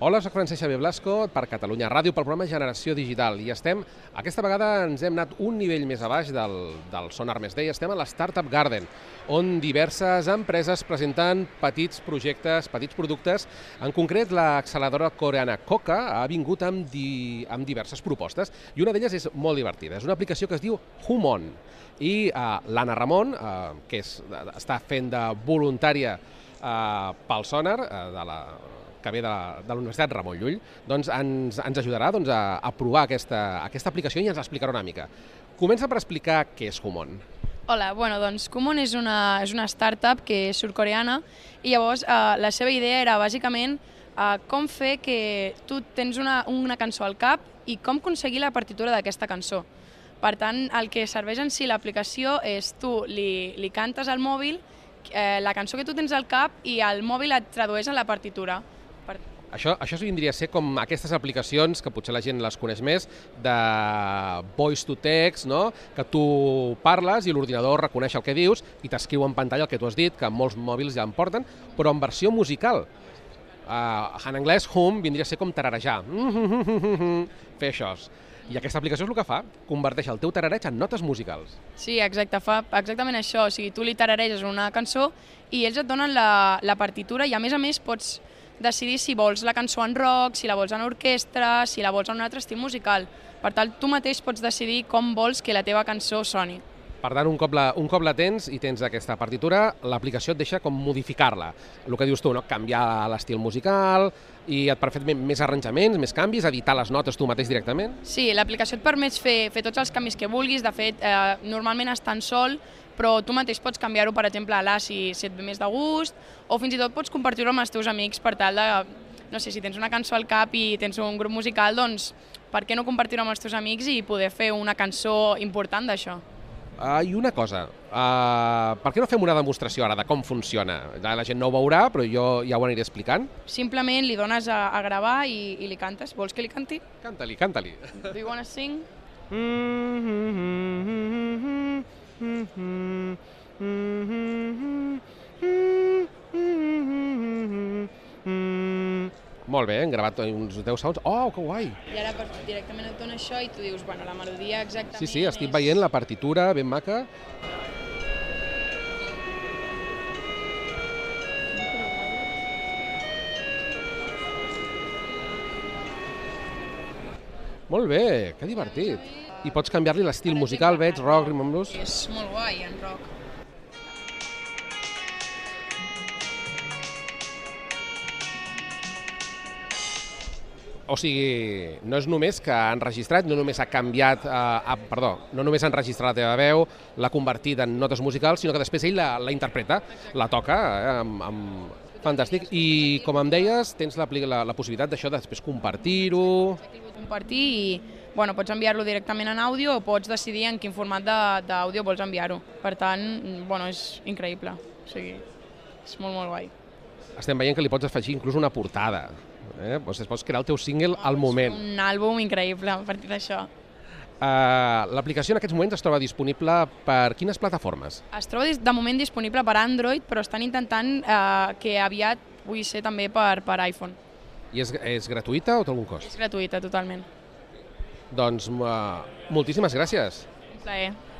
Hola, soc Francesc Xavier Blasco per Catalunya Ràdio, pel programa Generació Digital. I aquesta vegada ens hem anat un nivell més a baix del Sonar Més Day. Estem a la Startup Garden, on diverses empreses presenten petits projectes, petits productes. En concret, l'acceleradora coreana KOKA ha vingut amb diverses propostes i una d'elles és molt divertida. És una aplicació que es diu Humon. I l'Anna Ramon, que està fent de voluntària pel Sonar, que ve de la Universitat Ramon Llull, doncs ens ajudarà a provar aquesta aplicació i ens l'explicarà una mica. Comença per explicar què és Humon. Hola, doncs Humon és una startup que és sud-coreana i llavors la seva idea era bàsicament com fer que tu tens una cançó al cap i com aconseguir la partitura d'aquesta cançó. Per tant, el que serveix en si l'aplicació és tu li cantes al mòbil la cançó que tu tens al cap i el mòbil et tradueix en la partitura. Això vindria a ser com aquestes aplicacions, que potser la gent les coneix més, de voice to text, no? Que tu parles i l'ordinador reconeix el que dius i t'escriu en pantalla el que tu has dit, que molts mòbils ja en porten, però en versió musical. En anglès, hum vindria a ser com tararejar. Fer això. I aquesta aplicació és el que fa, converteix el teu tarareig en notes musicals. Sí, exacte, fa exactament això. O sigui, tu li tarareges una cançó i ells et donen la partitura i a més pots decidir si vols la cançó en rock, si la vols en orquestra, si la vols en un altre estil musical. Per tant, tu mateix pots decidir com vols que la teva cançó soni. Per tant, un cop la tens i tens aquesta partitura, l'aplicació et deixa com modificar-la. El que dius tu, no? Canviar l'estil musical i et permet més arranjaments, més canvis, editar les notes tu mateix directament. Sí, l'aplicació et permet fer tots els canvis que vulguis. De fet, normalment està en sol, però tu mateix pots canviar-ho, per exemple, a si et ve més de gust, o fins i tot pots compartir-ho amb els teus amics per tal de, no sé, si tens una cançó al cap i tens un grup musical, doncs per què no compartir-ho amb els teus amics i poder fer una cançó important d'això? I una cosa, per què no fem una demostració ara de com funciona? La gent no ho veurà, però jo ja ho aniré explicant. Simplement li dones a gravar i li cantes. Vols que li canti? Canta-li. Do you wanna sing? Molt bé, hem gravat uns 10 segons. Oh, que guai! I ara directament et dona això i tu dius, bueno, la melodia exactament Sí, estic veient la partitura ben maca. Molt bé, que divertit. I pots canviar-li l'estil musical, veig, rock, rhythm and blues. És molt guai, en rock. O sigui, no és només que han registrat, no només ha canviat, no només han registrat la teva veu, l'ha convertit en notes musicals, sinó que després ell la interpreta, la toca, fantàstic. I com em deies, tens la possibilitat d'això de després compartir-ho. Compartir i pots enviar-lo directament en àudio o pots decidir en quin format d'àudio vols enviar-ho. Per tant, és increïble. O sigui, és molt, molt guai. Estem veient que li pots afegir inclús una portada. Pots crear el teu single al moment. Un àlbum increïble a partir d'això. L'aplicació en aquests moments es troba disponible per quines plataformes? Es troba de moment disponible per Android, però estan intentant que aviat pugui ser també per iPhone. I és gratuïta o té algun cost? És gratuïta, totalment. Doncs moltíssimes gràcies. Un plaer.